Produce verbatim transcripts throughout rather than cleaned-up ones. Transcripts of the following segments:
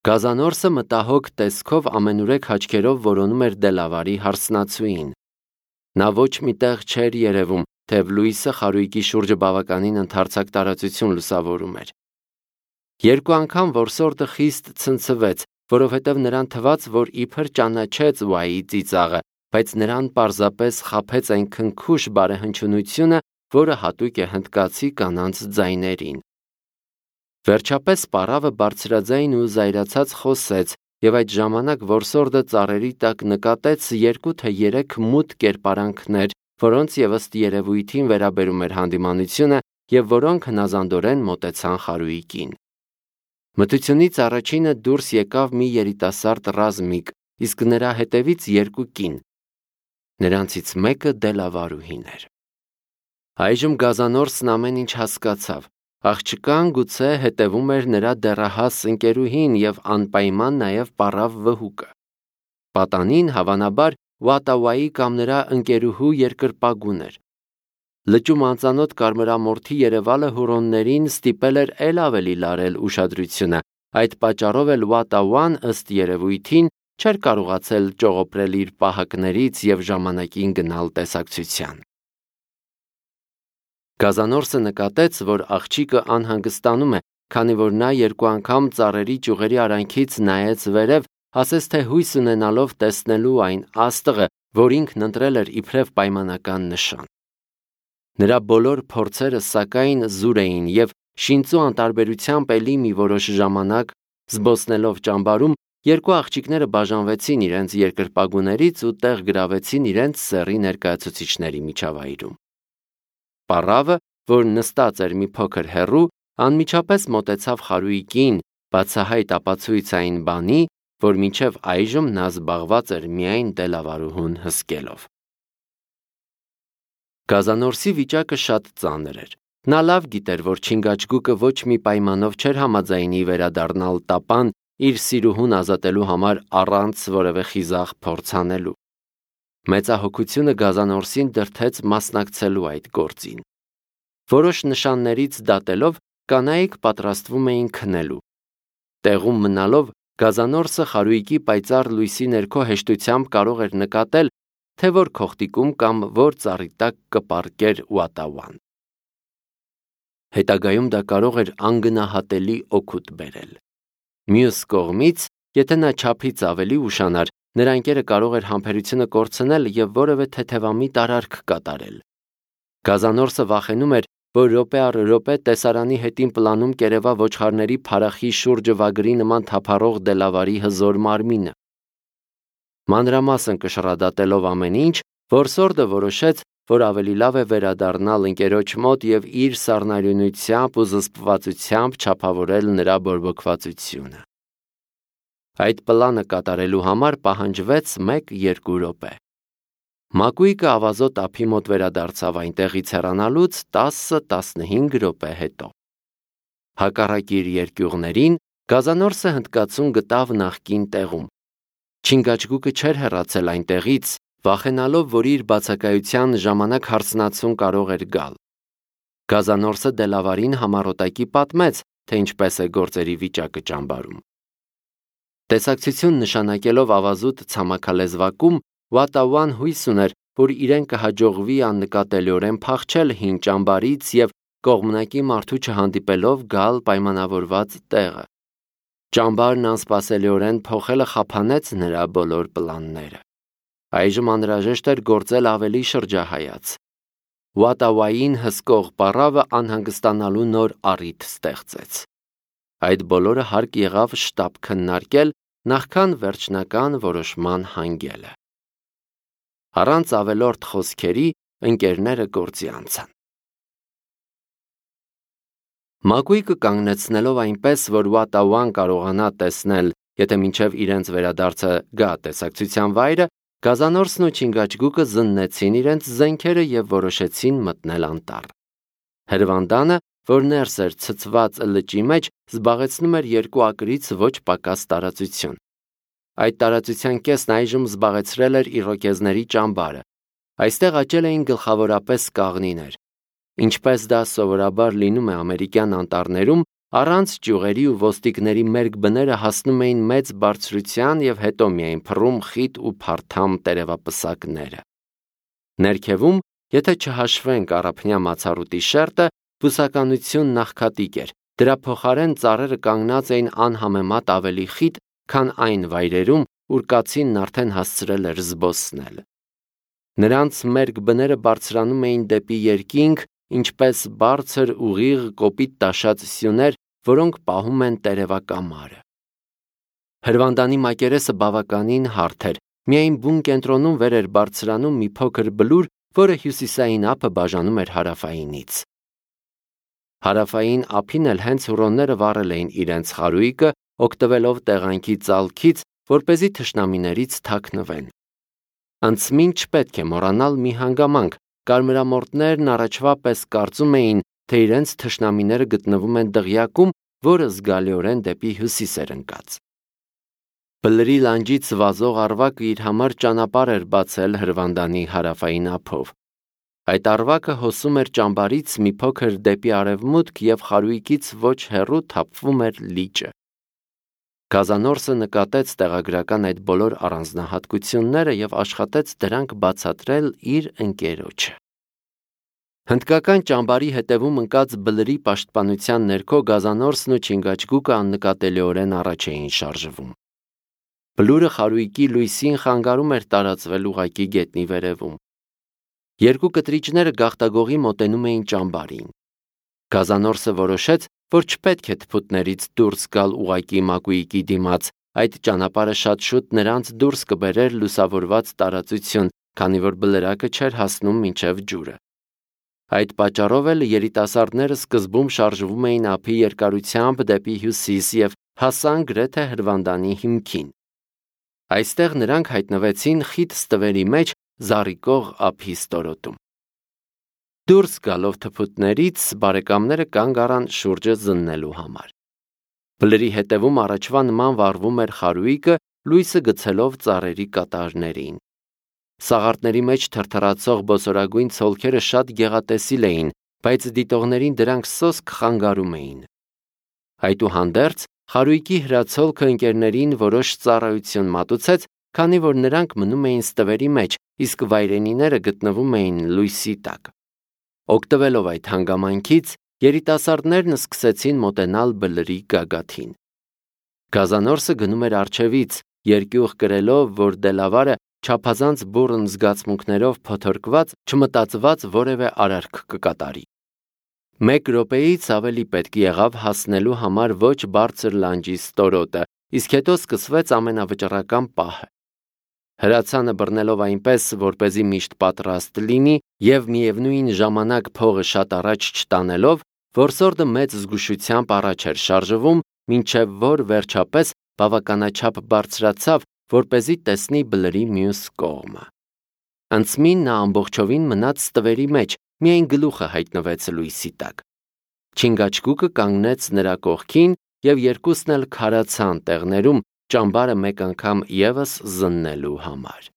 Գազանորսը մտահոգ տեսքով ամենուրեք աչքերով որոնում էր Դելավարի հարսնացուին։ Նա ոչ մի տեղ չէր երևում, թեև լույսը խարույկի շուրջը բավականին ընդարձակ տարածություն լուսավորում էր։ Երկու անգամ որսորդը խիստ ցնցվեց, որովհետև նրան թվաց, որ իբր ճանաչեց Ուայի ծիծաղը, բայց նրան պարզապես խաբեց այն քնքուշ բարեհնչյունությունը, որը հատուկ է հնդկացի կանանց ձայներին։ Վերջապես պառավը բարձրաձայն ու զայրացած խոսեց, եւ այդ ժամանակ որսորդը ծառերի տակ նկատեց երկու թե երեք մութ կերպարանքներ, որոնց եւ ըստ երևույթին վերաբերում էր հանդիմանությունը եւ որոնք հնազանդորեն մոտեցան խարույկին։ Մթությունից առաջինը դուրս եկավ մի երիտասարդ ռազմիկ, իսկ նրա հետևից երկու կին։ Նրանցից մեկը Դելավարուհին էր։ Այժմ Գազանորսն ամեն ինչ հասկացավ։ Աղջկան գուցե հետևում էր նրա դեռահաս ընկերուհին եւ անպայման նաեւ պառավ վհուկը։ Պատանին հավանաբար Ուատավայի կամ նրա ընկերուհու երկրպագուն էր։ Լճում անծանոթ կարմրամորթի Երևալը հուրոններին ստիպել էր էլ ավելի լարել ուշադրությունը, այդ պատճառով էլ Ուատավան ըստ երևույթին չէր կարողացել ճողոպրել իր պահակներից եւ ժամանակին գնալ տեսակցության։ Գազանորսը նկատեց, որ աղջիկը անհանգստանում է, քանի որ նա երկու անգամ ծառերի ճյուղերի արանքից նայեց վերև, ասես թե հույս ունենալով տեսնելու այն աստղը, որ ինքն ընտրել էր իբրև պայմանական նշան։ Նրա բոլոր փորձերը սակայն զուր էին եւ շինծու անտարբերությամբ էլի մի որոշ ժամանակ զբոսնելով ճամբարում երկու աղջիկները բաժանվեցին իրենց երկրպագուներից ու տեղ գրավեցին իրենց սեռի ներկայացուցիչների միջավայրում։ Պառավը, որ նստած էր մի փոքր հեռու, անմիջապես մոտեցավ խարույկին, բացահայտ ապացույց այն բանի, որ մինչև այժմ նա զբաղված էր միայն Դելավարուհուն հսկելով։ Գազանորսի վիճակը շատ ծանր էր։ Նա լավ գիտեր, որ Չինգաչգուկը ոչ մի պայմանով չէր համաձայնի վերադառնալ տապան իր սիրուհուն ազատելու համար առանց որևէ խիզախ փորձ անելու։ Մեծահոգությունը Գազանորսին դրդեց մասնակցելու այդ գործին։ Որոշ նշաններից դատելով կանայք պատրաստվում էին քնելու։ Տեղում մնալով Գազանորսը խարույկի պայծառ լույսի ներքո հեշտությամբ կարող էր նկատել, թե որ քողտիկում կամ որ ծառի տակ կպառկեր Ուատավան։ Հետագայում դա կարող էր անգնահատելի օգուտ բերել։ Մյուս կողմից, եթե նա չափից ավելի ուշանար, նրա ընկերը կարող էր համբերությունը կորցնել եւ որևէ թեթևամիտ արարք կատարել։ Գազանորսը վախենում էր, որ րոպե առ րոպե տեսարանի հետին պլանում կերևա ոչխարների փարախի շուրջը վագրի նման թափառող Դելավարի հզոր մարմինը։ Մանրամասն կշռադատելով ամեն ինչ, որսորդը որոշեց, որ ավելի լավ է վերադառնալ ընկերոջ մոտ եւ իր սառնարյունությամբ ու զսպվածությամբ չափավորել նրա բորբոքվածությունը։ Այդ պլանը կատարելու համար պահանջվեց մեկ-երկու րոպե։ Մակույկը ավազոտ ափի մոտ վերադարձավ այնտեղից հեռանալուց տասը-տասնհինգ րոպե հետո։ Հակառակ իր երկյուղներին Գազանորսը հնդկացուն գտավ նախկին տեղում։ Չինգաչգուկը չէր հեռացել այնտեղից, վախենալով, որ իր բացակայության ժամանակ հարսնացուն կարող էր գալ։ Գազանորսը Դելավարին համառոտակի պատմեց, թե ինչպես է գործերի վիճակը ճամբարում։ Տեսակցություն նշանակելով ավազուտ ցամաքալեզվակում, Ուատավան հույս ուներ, որ իրեն կհաջողվի աննկատելիորեն փախչել հին ճամբարից եւ կողմնակի մարդու չհանդիպելով գալ պայմանավորված տեղը։ Ճամբարն անսպասելիորեն փոխելը խափանեց նրա բոլոր պլանները։ Այժմ անհրաժեշտ էր գործել ավելի շրջահայաց։ Ուատավային հսկող պառավը անհանգստանալու նոր առիթ ստեղծեց։ Այդ բոլորը հարկ եղավ շտապ քննարկել, նախքան վերջնական որոշման հանգելը։ Առանց ավելորդ խոսքերի ընկերները գործի անցան։ Մակույկը կանգնեցնելով այնպես, որ Ուատավան կարողանա տեսնել, եթե մինչև իրենց վերադարձը գա տեսակցության վայրը, Գազանորսն ու Չինգաչգուկը զննեցին իրենց զենքերը եւ որոշեցին մտնել անտառ։ Հրվանդանը, որ ներս էր ցցված լճի մեջ, զբաղեցնում էր երկու ակրից ոչ պակաս տարածություն։ Այդ տարածության կեսն այժմ զբաղեցրել էր իրոկեզների ճամբարը։ Այստեղ աճել էին գլխավորապես կաղնիներ։ Ինչպես դա սովորաբար լինում է ամերիկյան անտառներում, առանց ճյուղերի ու ոստիկների մերկ բները հասնում էին մեծ բարձրության և հետո միայն փռում խիտ ու փարթամ տերևապսակները։ Ներքևում, եթե չհաշվենք առափնյա մացառուտի շերտը, բուսականությունն աղքատիկ էր, դրա փոխարեն ծառերը կանգնած էին անհամեմատ ավելի խիտ, քան այն վայրերում, ուր կացինն արդեն հասցրել էր զբոսնել։ Նրանց մերկ բները բարձրանում էին դեպի երկինք, ինչպես բարձր, ուղիղ, կոպիտ տաշած սյուներ, որոնք պահում են տերևակամարը։ Հրվանդանի մակերեսը բավականին հարթ էր, միայն բուն կենտրոնում վեր էր բարձրանում մի փոքր բլուր, որը հյուսիսային ափը բաժանում էր հարավայինից։ Հարավային ափին էլ հենց հուռոնները վառել էին իրենց խարույկը, օգտվելով տեղանքի ծալքից, որպեսզի թշնամիներից թաքնվեն։ Անցմին չպետք է մոռանալ մի հանգամանք, կարմրամորտներն առաջվա պես կարծում էին, թե իրենց թշնամիները գտնվում են դղյակում, որը զգալիորեն դեպի հյուսիս էր ընկած։ Բլրի լանջից վազող առվակը իր համար ճանապարհ էր բացել Հրվանդանի հարավային ափով։ Այդ առվակը հոսում էր ճամբարից մի փոքր դեպի արևմուտք և խարույկից ոչ հեռու թափվում էր լիճը։ Գազանորսը նկատեց տեղագրական այդ բոլոր առանձնահատկությունները և աշխատեց դրանք բացատրել իր ընկերոջը։ Հնդկական ճամբարի հետևում ընկած բլրի պաշտպանության ներքո գազանորսն ու չինգաչգուկը աննկատելիորեն առաջ էին շարժվում։ Բլուրը խարույկի լույսին խանգարում էր տարածվել ուղղակի գետնի վերևում։ Երկու կտրիճները գաղտագողի մոտենում էին ճամբարին։ Գազանորսը որոշեց, որ չպետք է թփուտներից դուրս գալ ուղղակի մակույկի դիմաց, այդ ճանապարհը շատ շուտ նրանց դուրս կբերեր լուսավորված տարածություն, քանի որ բլրակը չէր հասնում մինչև ջուրը։ Այդ պատճառով էլ երիտասարդները սկզբում շարժվում էին ափի երկարությամբ դեպի հյուսիս և հասան գրեթե Հրվանդանի հիմքին։ Այստեղ նրանք հայտնվեցին խիտ ստվերի մեջ զառիկող ափի ստորոտում։ Դուրս գալով թփուտներից բարեկամները կանգ առան շուրջը զննելու համար։ Բլրի հետևում առաջվա նման վառվում էր խարույկը, լույսը գցելով ծառերի կատարներին։ Սաղարթների մեջ թրթռացող բոսորագույն ցոլքերը շատ գեղատեսիլ էին, բայց դիտողներին դրանք սոսկ խանգարում էին։ Այդուհանդերձ, խարույկի հրացոլքը ընկերներին որոշ ծառայություն մատուցեց, քանի որ նրանք մնում էին ստվերի մեջ, իսկ վայրենիները գտնվում էին լույսի տակ։ Օգտվելով այդ հանգամանքից, երիտասարդներն սկսեցին մոտենալ բլրի գագաթին։ Գազանորսը գնում էր առջևից, երկյուղ կրելով, որ դելավարը չափազանց բուռն զգացմունքներով փոթորկված, չմտածված որևէ արարք կկատարի։ Մեկ րոպեից ավելի պետք եղավ հասնելու համար ոչ բարձր լանջի ստորոտը, իսկ հետո սկսվեց ամենավճռական պահը։ Հրացանը բռնելով այնպես, որպեսզի միշտ պատրաստ լինի և միևնույն ժամանակ փողը շատ առաջ չտանելով, որսորդը մեծ զգուշությամբ առաջ էր շարժվում, մինչև որ վերջապես բավականաչափ բարձրացավ, որպեսզի տեսնի բլրի մյուս կողմը։ Անցմին նա ամբողջովին մնաց ստվերի մեջ, միայն գլուխը հայտնվեց լույսի տակ։ Չինգաչգուկը կանգնեց նրա կողքին և երկուսն էլ քարացան տեղներում, ճամբարը մեկ անգամ ևս զննելու համար։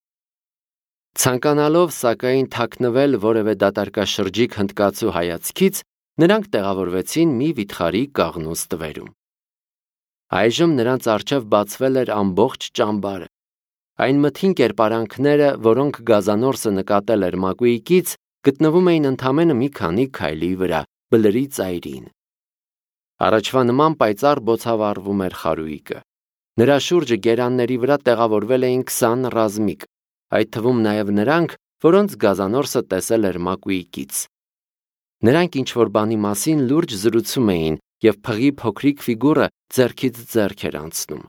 Ցանկանալով սակայն թաքնվել որևէ դատարկաշրջիկ հնդկացու հայացքից, նրանք տեղավորվեցին մի վիթխարի կաղնու ստվերում։ Այժմ նրանց առջև բացվել էր ամբողջ ճամբարը։ Այն մթին կերպարանքները, որոնք գազանորսը նկատել էր մակույկից, գտնվում էին ընդամենը մի քանի քայլի վրա, բլրի ծայրին։ Առաջվա նման պայծառ բոցավառվում էր խարույկը։ Նրա շուրջը գերանների վրա տեղավորվել էին քսան ռազմիկ, այդ թվում նաև նրանք, որոնց գազանորսը տեսել էր մակույկից։ Նրանք ինչ-որ բանի մասին լուրջ զրուցում էին, և փղի փոքրիկ ֆիգուրը ձեռքից ձեռք էր անցնում։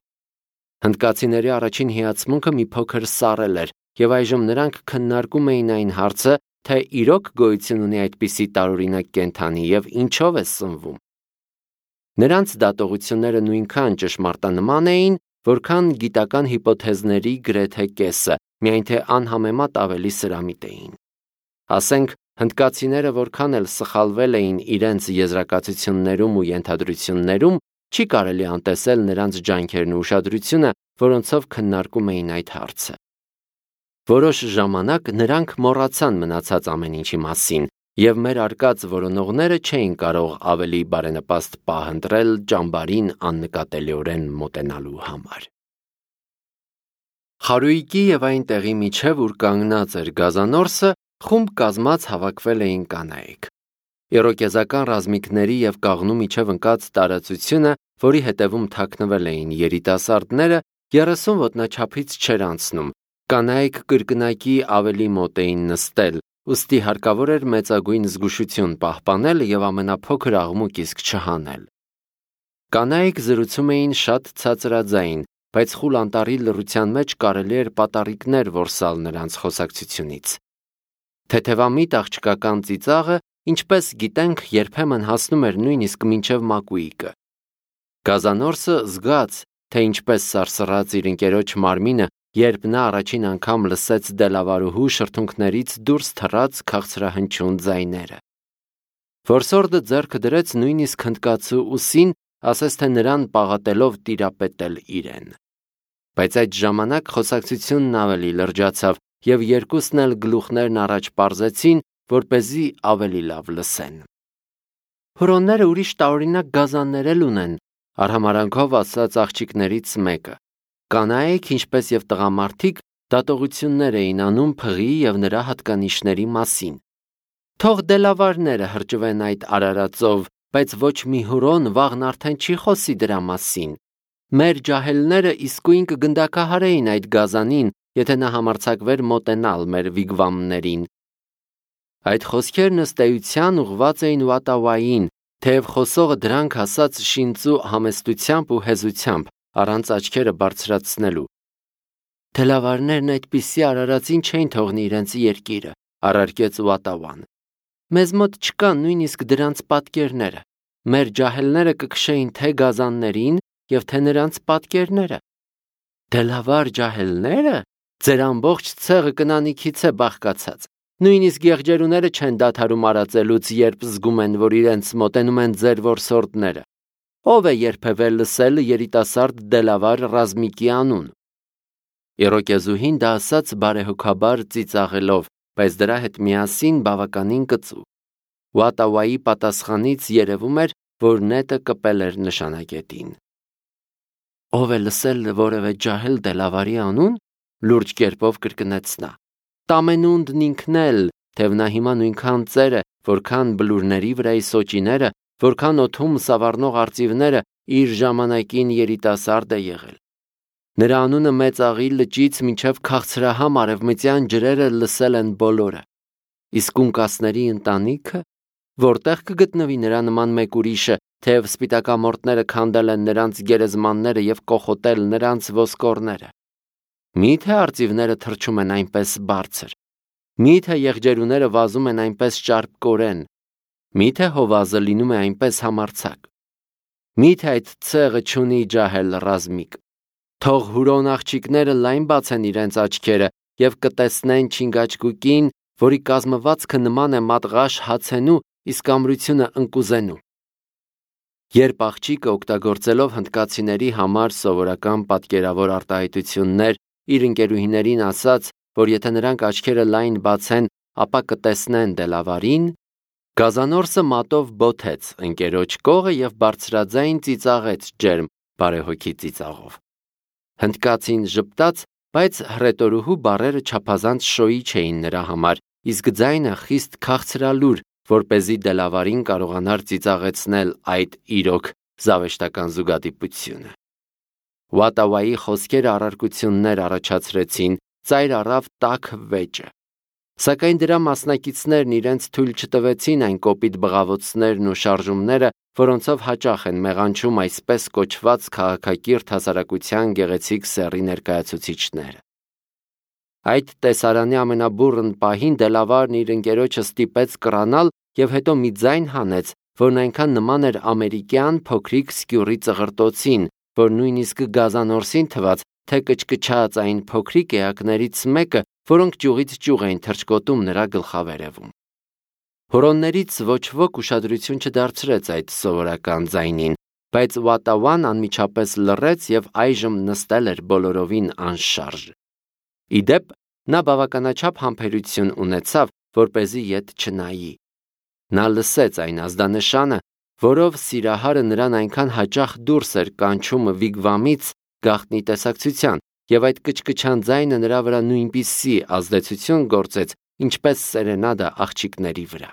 Հնդկացիների առաջին հիացմունքը մի փոքր սառել էր, և այժմ նրանք քննարկում էին այն հարցը, թե իրոք գոյություն ունի այդպիսի տարօրինակ կենդանի և ինչով է սնվում։ Նրանց դատողությունները նույնքան ճշմարտանման էին, որքան գիտական հիպոթեզների գրեթե կեսը, միայն թե անհամեմատ ավելի սրամիտ էին։ Ասենք, հնդկացիները որքան էլ սխալվել էին իրենց եզրակացություններում ու ենթադրություններում, չի կարելի անտեսել նրանց ջանքերն ու ուշադրությունը, որոնցով քննարկում էին այդ հարցը։ Որոշ ժամանակ նրանք մոռացան մնացած ամեն ինչի մասին եւ մեր արկած որոնողները չէին կարող ավելի բարենպաստ պահ ընտրել ճամբարին աննկատելիորեն մոտենալու համար։ Խարույկի եւ այն տեղի միջև, ուր կանգնած էր գազանորսը, խումբ կազմած հավաքվել էին կանայք։ Իրոկեզական ռազմիկների եւ կաղնու միջև ընկած տարածությունը, որի հետևում թաքնվել էին երիտասարդները, երեսուն ոտնաչափից չէր անցնում։ Կանայք կրկնակի ավելի մոտ էին նստել, ուստի հարկավոր էր մեծագույն զգուշություն պահպանել եւ ամենափոքր աղմուկ իսկ չհանել։ Կանայք զրուցում էին շատ ցածրաձայն, բայց խուլ անտառի լռության մեջ կարելի էր պատառիկներ որսալ նրանց խոսակցությունից։ Թեթևամիտ աղջկական ծիծաղը, ինչպես գիտենք, երբեմն հասնում էր նույնիսկ մինչև մակույիկը։ Գազանորսը զգաց, թե ինչպես սարսռաց իր ընկերոջ մարմինը, երբ նա առաջին անգամ լսեց դելավարուհու շրթունքներից դուրս թռած քաղցրահնչյուն ձայները։ Որսորդը ձեռքը դրեց նույնիսկ հնդկացու ուսին, ասես թե նրան պաղատելով տիրապետել իրեն։ Բայց այդ ժամանակ խոսակցությունն ավելի լրջացավ, եւ երկուսն էլ գլուխներն առաջ պարզեցին, որպեսզի ավելի լավ լսեն։ Հուրոնները ուրիշ տարօրինակ գազաններ էլ ունեն, արհամարանքով ասաց աղջիկներից մեկը։ Կանայք, ինչպես եւ տղամարդիկ, դատողություններ էին անում փղի եւ նրա հատկանիշների մասին։ Թող դելավարները հրճվեն այդ արարածով, բայց ոչ մի հուրոն վաղն արդեն չի խոսի դրա մասին։ Մեր ջահելները իսկույն կգնդակահարեին այդ գազանին, եթե նա համարձակվեր մոտենալ մեր վիգվամներին։ Այդ խոսքերն ըստ էության ուղղված էին Ուատավային, թեև խոսողը դրանք ասաց շինծու համեստությամբ ու հեզությամբ, առանց աչքերը բարձրացնելու։ Դելավարներն այդպիսի արարածին չէին թողնի իրենց երկիրը, առարկեց Ուատավան։ Մեզ մոտ չկան նույնիսկ դրանց պատկերները։ Մեր ջահելները կքշեին թե գազաններին եւ թե նրանց պատկերները։ Դելավար ջահելները, ձեր ամբողջ ցեղը կնանիքից է բաղկացած։ Նույնիսկ եղջերուները չեն դադարում արածելուց, երբ զգում են, որ իրենց մոտենում են ձեր որսորդները։ Ով է երբևէ լսել երիտասարդ դելավար ռազմիկի անուն։ Իրոկեզուհին դա ասաց բարեհոգաբար ծիծաղելով, բայց դրա հետ միասին բավականին կծու։ Ուատավայի պատասխանից երևում էր, որ նետը կպել էր նշանակետին։ Ով է լսել որևէ ջահել դելավարի անուն, լուրջ կերպով կրկնեց նա։ Տամենունդն ինքն էլ, թեև նա հիմա նույնքան ծեր է, որքան բլուրների վրայի սոճիները, որքան օդում սավառնող արծիվները, իր ժամանակին երիտասարդ է եղել։ Նրա անունը մեծ աղի լճից մինչև քաղցրահամ արևմտյան ջրերը լսել են բոլորը։ Իսկ ունկասների ընտանիքը, որտեղ կգտնվի նրա նման մեկ ուրիշը, թեև սպիտակամորտները քանդել են նրանց գերեզմանները եւ կոխոտել նրանց ոսկորները։ Միթե արծիվները թռչում են այնպես բարձր։ Միթե եղջերուները վազում են այնպես ճարպկորեն։ Միթե հովազը լինում է այնպես համարձակ։ Միթե այդ ցեղը չունի ջահել ռազմիկ։ Թող հուրոն աղջիկները լայն բացեն իրենց աչքերը եւ կտեսնեն չինգաչկուկին, որի կազմվածքը նման է մատղաշ հացենու, իսկ ամրությունը ընկուզենու։ Երբ աղջիկը օգտագործելով հնդկացիների համար սովորական պատկերավոր արտահայտություններ իր ընկերուհիներին ասաց, որ եթե նրանք աչքերը լայն բացեն, ապա կտեսնեն դելավարին, գազանորսը մատով բոթեց ընկերոջ կողը եւ բարձրաձայն ծիծաղեց ջերմ բարեհոգի ծիծաղով։ Հնդկացին ժպտաց, բայց հռետորուհու բառերը չափազանց շոյի չէին նրա համար, իսկ ձայնը խիստ քաղցրալուր, որպեսզի դելավարին կարողանար ծիծաղեցնել այդ իրոք զավեշտական զուգադիպությունը։ Ուատավայի խոսքերը առարկություններ առաջացրեցին, ծայր առավ տաք վեճը։ Սակայն դրա մասնակիցներն իրենց թույլ չտվեցին այն կոպիտ բղավոցներն ու շարժումները, որոնցով հաճախ են մեղանչում այսպես կոչված քաղաքակիրթ հասարակության գեղեցիկ սեռի ներկայացուցիչները։ Այդ տեսարանի ամենաբուռն պահին դելավարն իր ընկերոջը ստիպեց կռանալ եւ հետո մի ձայն հանեց, որն այնքան նման էր ամերիկյան փոքրիկ սկյուռի ծղրտոցին, որ նույնիսկ գազանորսին թված, թե կչկչաց այն փոքրիկ էակներից մեկը, որոնք ճյուղից ճյուղ էին թռչկոտում նրա գլխավերևում։ Հորոններից ոչ ոք ուշադրություն չդարձրեց այդ սովորական ձայնին, բայց Ուատավան անմիջապես լռեց եւ այժմ նստել էր բոլորովին անշարժ։ Իդեպ նա բավականաչափ համբերություն ունեցավ, որպեսզի ետ չնայի։ Նա լսեց այն ազդանշանը, որով սիրահարը նրան այնքան հաճախ դուրս էր կանչում վիգվամից գաղտնի տեսակցության, եւ այդ կչկչան ձայնը նրա վրա նույնպիսի ազդեցություն գործեց, ինչպես սերենադա աղջիկների վրա։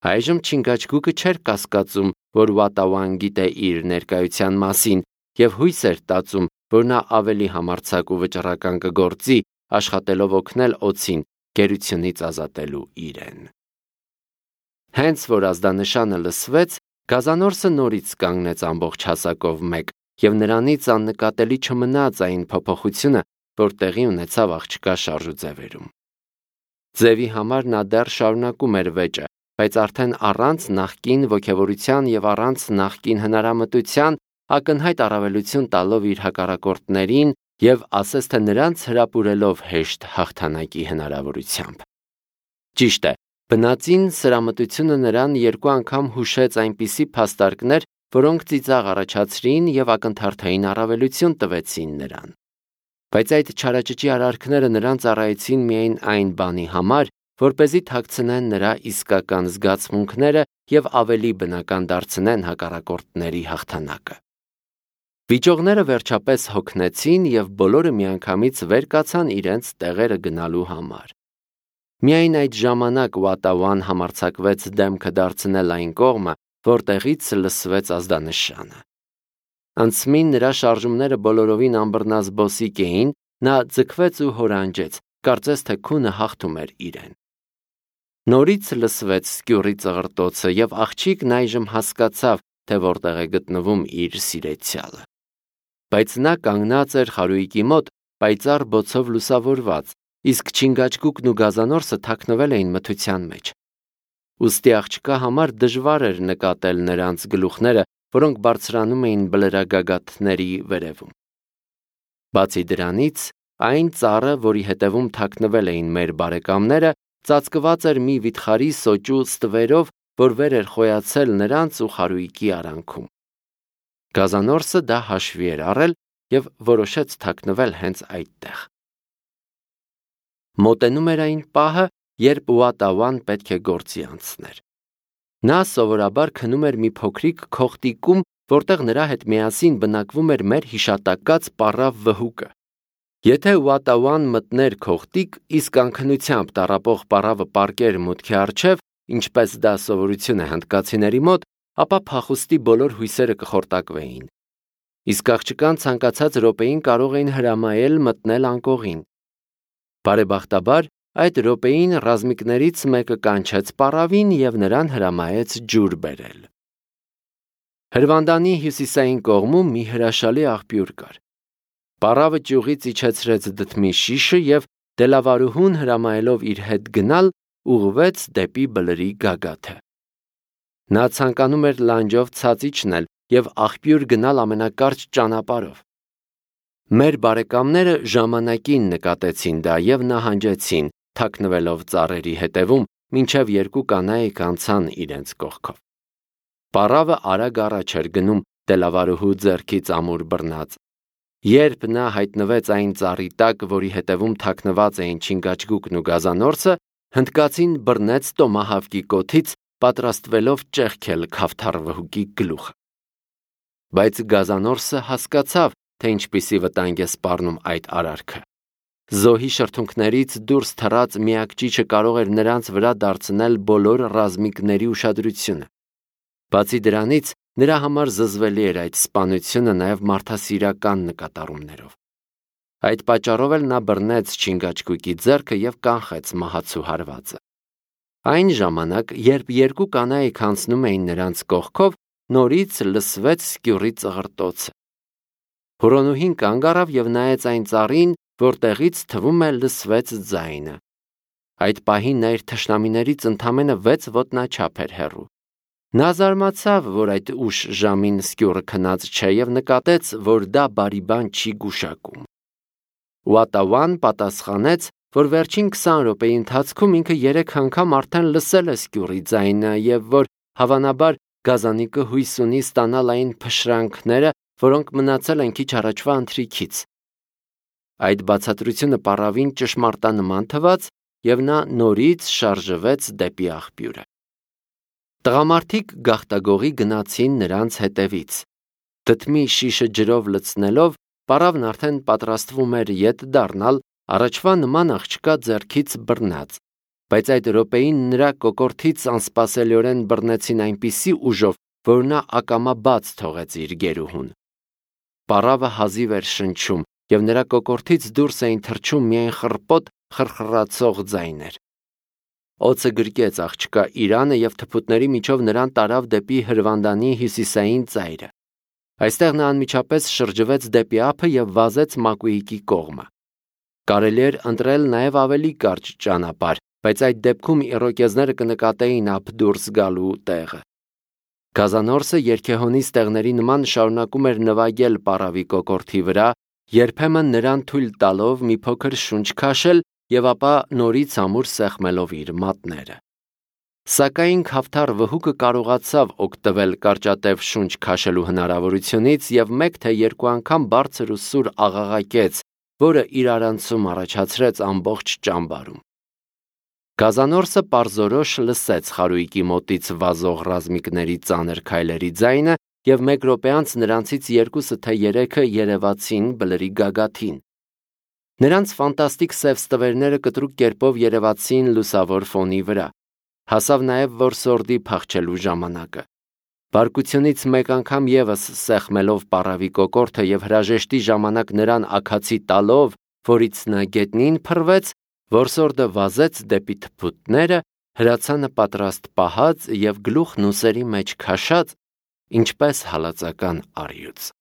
Այժմ Չինգաչգուկը չէր կասկածում, որ Ուատավան գիտե իր ներկայության մասին եւ հույս էր տածում, որ նա ավելի համարձակ ու վճռական կգործի, աշխատելով օգնել Օձին գերությունից ազատելու իրեն։ Հենց որ ազդանշանը լսվեց, գազանորսը նորից կանգնեց ամբողջ հասակով մեկ, եւ նրանից աննկատելի չմնաց այն փոփոխությունը, որ տեղի ունեցավ աղջկա շարժուձևերում։ Ձևի համար նա դեռ շարունակում էր վեճը, բայց արդեն առանց նախկին ոգևորության եւ առանց նախկին հնարամտության ակնհայտ առավելություն տալով իր հակառակորդներին եւ ասես թե նրանց հրապուրելով հեշտ հաղթանակի հնարավորությամբ։ Ճիշտ է, բնածին սրամտությունը նրան երկու անգամ հուշեց այնպիսի փաստարկներ, որոնք ծիծաղ առաջացրին եւ ակնթարթային առավելություն տվեցին նրան։ Բայց այդ չարաճճի արարքները նրան ծառայեցին միայն այն բանի համար, որպեսզի թաքցնեն նրա իսկական զգացմունքները եւ ավելի բնական դարձնեն հակառակորդների հաղթանակը։ Վիճողները վերջապես հոգնեցին եւ բոլորը միանգամից վեր կացան իրենց տեղերը գնալու համար։ Միայն այդ ժամանակ Ուատավան համարձակվեց դեմքը դարձնել այն կողմը, որտեղից լսվեց ազդանշանը։ Անցմին նրա շարժումները բոլորովին անբռնազբոսիկ էին, նա ձգվեց ու հորանջեց, կարծես թե քունը հաղթում էր իրեն։ Նորից լսվեց սկյուռի ծղրտոցը եւ աղջիկն այժմ հասկացավ, թե որտեղ է գտնվում իր սիրեցյալը։ Բայց նա կանգնած էր խարույկի մոտ, պայծառ բոցով լուսավորված, իսկ Չինգաչգուկն ու գազանորսը թաքնվել էին մթության մեջ։ Ուստի աղջկա համար դժվար էր նկատել նրանց գլուխները, որոնք բարձրանում էին բլրագագաթների վերևում։ Բացի դրանից, այն ծառը, որի հետևում թաքնվել էին մեր բարեկամները, ծածկված էր մի վիթխարի սոճու ստվերով, որ վեր էր խոյացել նրանց ու խարույկի արանքում։ Գազանորսը դա հաշվի էր առել եւ որոշեց թաքնվել հենց այդտեղ։ Մոտենում էր այն պահը, երբ Ուատավան պետք է գործի անցներ։ Նա սովորաբար քնում էր մի փոքրիկ քոխտիկում, որտեղ նրա հետ միասին բնակվում էր մեր հիշատակած պառավ վհուկը։ Եթե Ուատավան մտներ քոխտիկ, իսկ անքնությամբ տառապող պառավը պառկեր մուտքի առջև, ինչպես դա սովորություն է հնդկացիների մոտ, ապա փախուստի բոլոր հույսերը կխորտակվեին։ Իսկ աղջկան ցանկացած րոպեին կարող էին հրամայել մտնել անկողին։ Բարեբախտաբար, այդ րոպեին ռազմիկներից մեկը կանչեց պառավին եւ նրան հրամայեց ջուր բերել։ Հրվանդանի հյուսիսային կողմում մի հրաշալի աղբյուր կար։ Պառավը ճյուղից իջեցրեց դդմի շիշը եւ դելավարուհուն հրամայելով իր հետ գնալ, ուղղվեց դեպի բլրի գագաթը։ Նա ցանկանում էր լանջով ցած իջնել եւ աղբյուր գնալ ամենակարճ ճանապարհով։ Մեր բարեկամները ժամանակին նկատեցին դա եւ նահանջեցին, թաքնվելով ծառերի հետևում, մինչև երկու կանայք անցան իրենց կողքով։ Պառավը արագ առաջ էր գնում, դելավարուհու ձեռքից ամուր բռնած։ Երբ նա հայտնվեց այն ծառի տակ, որի հետևում թաքնված էին Չինգաչգուկն ու գազանորսը, հնդկացին բռնեց տոմահավկի կոթից, պատրաստվելով ճեղքել քավթարվհուկի գլուխը։ Բայց գազանորսը հասկացավ, թե ինչպիսի վտանգ է սպառնում այդ արարքը։ Զոհի շրթունքներից դուրս թռած միակ ճիճը կարող էր նրանց վրա դարձնել բոլոր ռազմիկների ուշադրությունը։ Բացի դրանից, նրա համար զզվելի էր այդ սպանությունը նաև մարդասիրական նկատառումներով։ Այդ պատճառով էլ նա բռնեց Չինգաչգուկի ձեռքը եւ կանխեց մահացու հարվածը։ Այն ժամանակ, երբ երկու կանայք անցնում էին նրանց կողքով, նորից լսվեց սկյուռի ծղրտոցը։ Հորոնուհին կանգ առավ եւ նայեց այն ծառին, որտեղից թվում է լսվեց ձայնը։ Այդ պահին նա իր թշնամիներից ընդամենը վեց ոտնաչափ էր հեռու։ Նա զարմացավ, որ այդ ուշ ժամին սկյուռը քնած չէ եւ նկատեց, որ դա բարի բան չի գուշակում։ Ուատավան պատասխանեց, որ վերջին քսան րոպեի ընթացքում ինքը երեք անգամ արդեն լսել է սկյուռի ձայնը եւ որ հավանաբար գազանիկը հույս ունի ստանալ այն փշրանքները, որոնք մնացել են քիչ առաջվա ընթրիքից։ Այդ բացատրությունը պառավին ճշմարտանման թվաց եւ նա նորից շարժվեց դեպի աղբյուրը։ Տղամարդիկ գաղտագողի գնացին նրանց հետևից։ Դդմի շիշը ջրով լցնելով, պարավն արդեն պատրաստվում էր ետ դառնալ, առաջվա նման աղջկա ձեռքից բռնած, բայց այդ րոպեին նրա կոկորդից անսպասելիորեն բռնեցին այնպիսի ուժով, որ նա ակամա բաց թողեց իր գերուհուն։ Պարավը հազիվ էր շնչում, և նրա կոկորդից դուրս էին թռչում միայն խռպոտ խռխռացող ձայներ։ Օձը գրկեց աղջկա իրանը և թփուտների միջով նրան տարավ դեպի հրվանդանի հյուսիսային ծայրը։ Այստեղ նա անմիջապես շրջվեց դեպի ափը և վազեց Մակուիկի կողմը։ Կարելի էր ընտրել նաև ավելի կարճ ճանապարհ, բայց այդ դեպքում իռոկեզները կնկատեին ափ դուրս գալու տեղը։ Գազանորսը երգեհոնի ստեղների նման շարունակում էր նվագել պարավի կոկորդի վրա, երբեմն նրան թույլ տալով մի փոքր շունչ քաշել և ապա նորից ամուր սեղմելով իր մատները։ Սակայն քավթար վհուկը կարողացավ օգտվել կարճատև շունչ քաշելու հնարավորությունից և մեկ թե երկու անգամ բարձր ու սուր աղաղակեց, որը իրարանցում առաջացրեց ամբողջ ճամբարում։ Գազանորսը պարզորոշ լսեց խարույկի մոտից վազող ռազմիկների ծանր քայլերի ձայնը և մեկ րոպե անց նրանցից երկուսը թե երեքը երևացին բլրի գագաթին։ Նրանց ֆանտաստիկ սև ստվերները կտրուկ կերպով երևացին լուսավոր ֆոնի վրա։ Հասավ նաև որսորդի փախչելու ժամանակը։ Բարկությունից մեկ անգամ ևս սեղմելով պարավի կոկորդը և հրաժեշտի ժամանակ նրան աքացի տալով, որից նա գետնին փռվեց, որսորդը վազեց դեպի թփուտները, հրացանը պատրաստ պահած և գլուխն ուսերի մեջ քաշած, ինչպես հալածական առյուծ։